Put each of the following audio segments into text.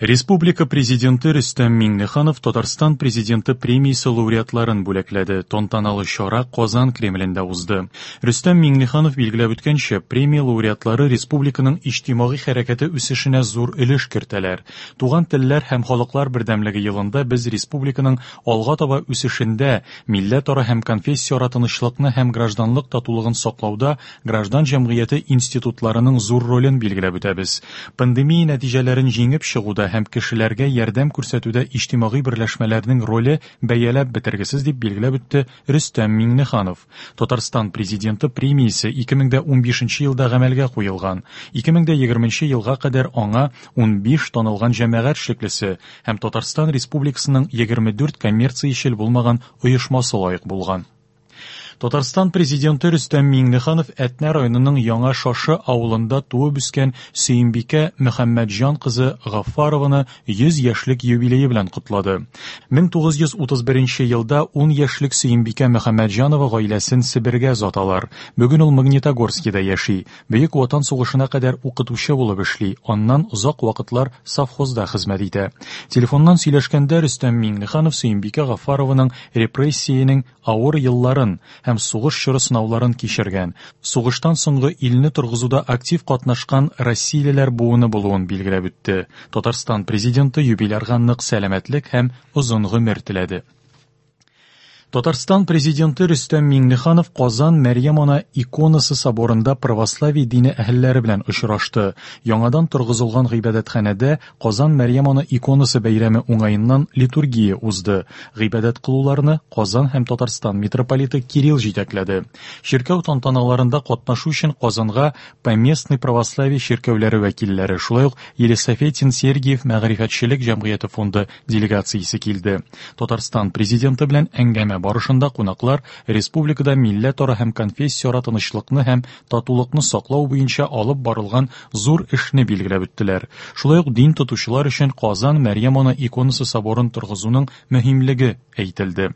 Республика Президенты Рөстәм Миңнеханов Татарстан Президенты премиясе лауреатларын бүләкләде. Тантаналы чара Казан Кремлендә узды. Рөстәм Миңнеханов билгеләп үткәнчә, премия лауреатлары республиканың иҗтимагый хәрәкәте үсешенә зур өлеш кертәләр. Туган телләр һәм халыклар бердәмлеге елында без республиканың алга таба үсешендә, милләтара һәм конфессияара тынычлыкны һәм гражданлык татулыгын саклауда граждан җәмгыяте институтларының зур ролен билгеләп үтәбез. Пандемия нәтиҗәләрен җиңеп чыгуда һәм кешеләргә ярдәм күрсәтүдә иҗтимагый берләшмәләрнең роле бәяләп бетергесез, дип билгеләп үтте Рөстәм Миңнеханов. Татарстан Президенты премиясе 2015 елда гамәлгә куелган. 2020 елга кадәр аңа 15 танылган җәмәгать эшлеклесе һәм Татарстан Республикасының 24 коммерциячел булмаган оешмасы лаек булган. Татарстан Президенты Рөстәм Миңнеханов Әтнә районының Яңа Шашы авылында туып үскән Сөембикә Мөхәммәтҗан кызы Гаффарованы 100 яшьлек юбилее белән котлады. 1931 елда 10 яшьлек Сөембикә Мөхәммәтҗанова гаиләсен Себергә озаталар. Бүген ул Магнитогорскида яши. Бөек Ватан сугышына кадәр укытучы булып эшли, аннан озак вакытлар совхозда хезмәт итә. Телефоннан сөйләшкәндә Рөстәм Миңнеханов Сөембикә Гаффарованың репрессиянең авыр елларын һәм сугыш чоры сынауларын кичергән, сугыштан соңгы илне торгызуда актив катнашкан россиялеләр буыны булуын билгеләп үтте. Татарстан Президенты юбилярга нык сәламәтлек һәм озын гомер теләде. Татарстан Президенты Рөстәм Миңнеханов Казан Мәрьям Ана иконасы соборында православие дине әһелләре белән очрашты. Яңадан торгызылган гыйбадәтханәдә Казан Мәрьям Ана иконасы бәйрәме уңаеннан литургия узды. Гыйбадәт кылуларны Казан һәм Татарстан митрополиты Кирилл җитәкләде. Чиркәү тантаналарында катнашу өчен Казанга Поместный православие чиркәүләре вәкилләре, шулай ук Елисаветин Сергиев мәгърифәтчелек җәмгыяте фонды делегациясе килде. Татарстан Президенты белән әңгәмә барышында кунаклар республикада милләтара һәм конфессияара тынычлыкны һәм татулыкны саклау буенча алып барылган зур эшне билгеләп үттеләр. Шулай ук дин тотучылар өчен Казан Мәрьям Ана иконасы соборын торгызуның мөһимлеге әйтелде.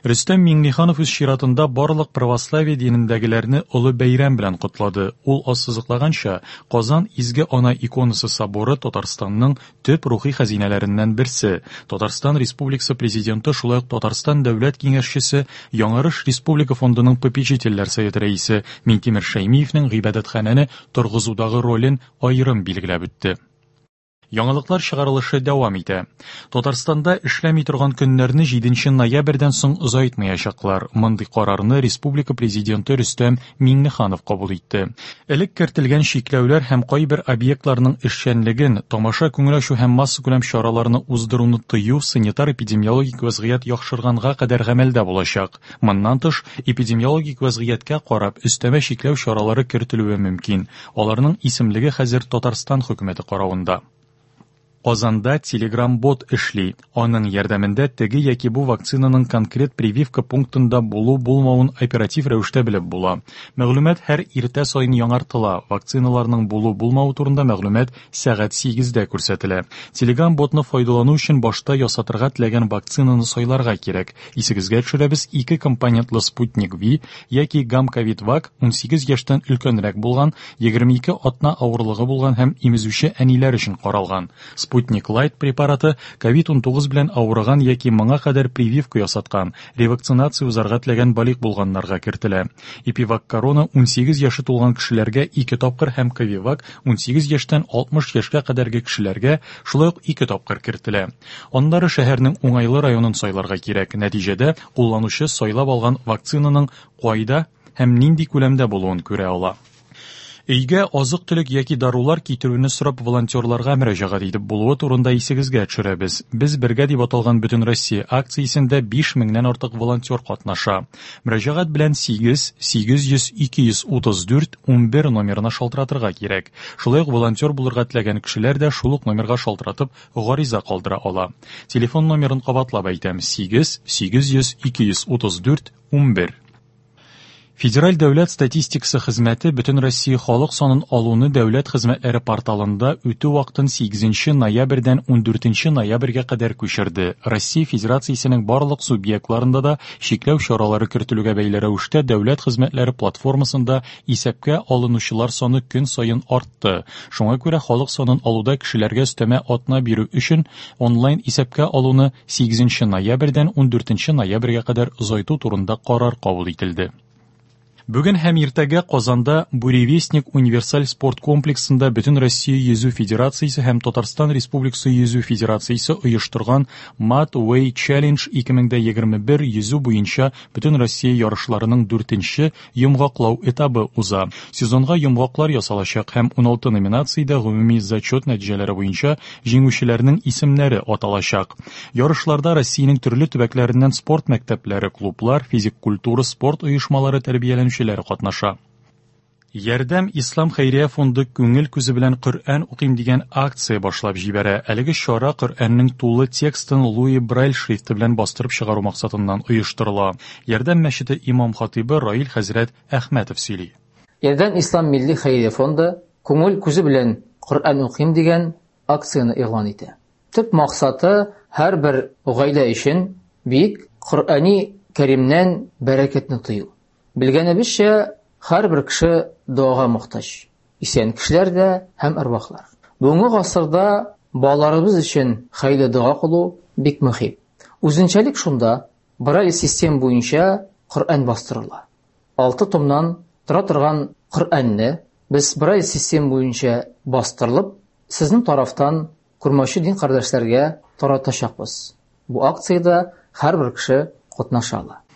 Рөстәм Миңнеханов үз чиратында барлык православие динендәгеләрне олы бәйрәм белән котлады. Ул ассызыклаганча, Казан Изге Ана иконасы соборы Татарстанның төп рухи хәзинәләреннән берсе. Татарстан Республикасы Президенты шулай ук Татарстан Дәүләт Киңәшчесе, Яңарыш республика фондының попечительләр советы рәисе Миңтимер Шәймиевнең гыйбадәтханәне торгызудагы ролен аерым билгеләп үтте. Яңалыклар чыгарылышы дәвам итә. Татарстанда эшләми торган көннәрне 7 ноябрьдән соң озайтмаячаклар. Мондый карарны республика президенты Рөстәм Миңнеханов кабул итте. Элек кертелгән чикләүләр һәм кайбер объектларның эшчәнлеген, тамаша, күңел ачу һәм массакүләм чараларны уздыруны тыю санитар-эпидемиологик вәзгыять яхшырганга кадәр гамәлдә булачак. Моннан тыш, эпидемиологик вәзгыятькә карап, өстәмә чикләү чаралары кертелүе мөмкин. Аларның исемлеге хәзер Татарстан хөкүмәте каравында. Казанда Telegram-бот эшли. Аның ярдәмендә теге яки бу вакцинаның конкрет прививка пунктында булу-булмавын оператив рәвештә белеп була. Мәгълүмат һәр иртә саен яңартыла. Вакциналарның булу-булмавы турында мәгълүмат сәгать 8-дә күрсәтелә. Telegram-ботны файдалану өчен башта ясатырга теләгән вакцинаны сайларга кирәк. Исегезгә төшерәбез, ике компонентлы Спутник V яки Гамковид-Вак 18 яшьтән өлкәнрәк булган, 22 атна авырлыгы булган һәм имезүче әниләр өчен каралган. Спутник Лайт препараты COVID-19 белән авырган яки моңа кадәр прививка ясаткан, ревакцинация узарга теләгән балигъ булганнарга кертелә. Эпивак Корона 18 яше тулган кешеләргә ике тапкыр һәм Ковивак 18 яшьтән 60 яшькә кадәрге кешеләргә шулай ук ике тапкыр кертелә. Аннары шәһәрнең уңайлы районын сайларга кирәк. Нәтиҗәдә, кулланучы сайлап алган вакцинаның кайда һәм нинди күләмдә булуын күрә ала. Өйгә азык-төлек яки дарулар китерүне сорап волонтерларга мөрәҗәгать итеп булуы турында исегезгә төшерәбез. Без бергә дип аталган Бөтенроссия акциясендә 5 меңнән артык волонтер катнаша. Мөрәҗәгать белән 8 800 234 11 номерына шалтыратырга кирәк. Шулай ук волонтер булырга теләгән кешеләр дә шул ук номерга шалтыратып гариза калдыра ала. Телефон номерын кабатлап әйтәм: 8 800 234 11. Федераль дәүләт статистикасы хезмәте Бөтенроссия халык санын алуны дәүләт хезмәтләре порталында үтү вакытын 8 ноябрьдән 14 ноябрьгә кадәр күчерде. Россия Федерациясенең барлык субъектларында да чикләү чаралары кертелүгә бәйле рәвештә дәүләт хезмәтләре платформасында исәпкә алынучылар саны көн саен артты. Шуңа күрә халык санын алуда кешеләргә өстәмә атна бирү өчен онлайн исәпкә алуны 8 ноябрьдән 14 ноябрьгә кадәр озайту турында карар кабул ителде. Бүген һәм иртәгә Казанда Буревестник универсаль спорт комплексында Бөтенроссия йөзү федерациясе һәм Татарстан Республикасы йөзү федерациясе оештырган Mad Way Challenge 2021 йөзү буенча Бөтенроссия ярышларының дүртенче йомгаклау этабы уза. Сезонга йомгаклар ясалачак һәм 16 номинациядә гомуми зачет нәтиҗәләре буенча җиңүчеләрнең исемнәре аталачак. Ярышларда Россиянең төрле төбәкләреннән спорт мәктәпләре, клублар, физик культура, спорт оешмалары тәрбияләнүчеләре катнаша. Ярдәм Ислам хәйрия фонды күңел күзе белән Коръән укыйм дигән акция башлап җибәрә. Әлеге чара Коръәннең тулы текстын Луи Брайль шрифты белән бастырып чыгару максатыннан оештырыла. Ярдәм мәчете имам-хатыйбы Раил хәзрәт Әхмәтов сөйли. Ярдәм Ислам милли хәйрия фонды күңел күзе белән Коръән укыйм дигән акцияне игълан итә. Төп максаты һәрбер гаилә өчен бөек Коръәни Кәримнән бәрәкәтне тою. Белгәнебезчә, һәрбер кеше догага мохтаҗ. Исән кешеләр дә һәм әрвахлар. Бүгенге гасырда балаларыбыз өчен хәерле дога кылу бик мөһим. Үзенчәлек шунда, Брайль система буенча Коръән бастырыла. 6 томнан тора торган Коръәнне без Брайль система буенча бастырылып, сезнең тарафтан күрмәүче дин кардәшләргә таратачакбыз. Бу акциядә һәрбер кеше катнаша ала.